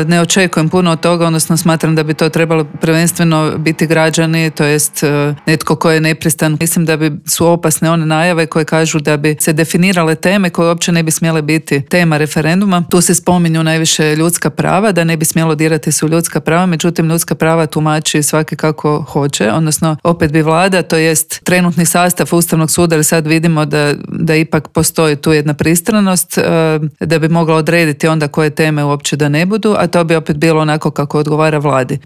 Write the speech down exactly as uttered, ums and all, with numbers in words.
ne očekujem puno od toga, odnosno smatram da bi to trebalo prvenstveno biti građani, to jest netko ko je nepristran. Mislim da bi su opasne one najave koje kažu da bi se definirale teme koje uopće ne bi smjele biti tema referenduma. Tu se spominju najviše ljudska prava, da ne bi smjelo dirati su ljudska prava, međutim ljudska prava tumači svaki kako hoće, odnosno opet bi vlada, to jest trenutni sastav Ustavnog suda, jer sad vidimo da, da ipak postoji tu jedna pristranost, da bi mogla odrediti onda koje teme uopće da ne budu, a to bi opet bilo onako kako odgovara vladi.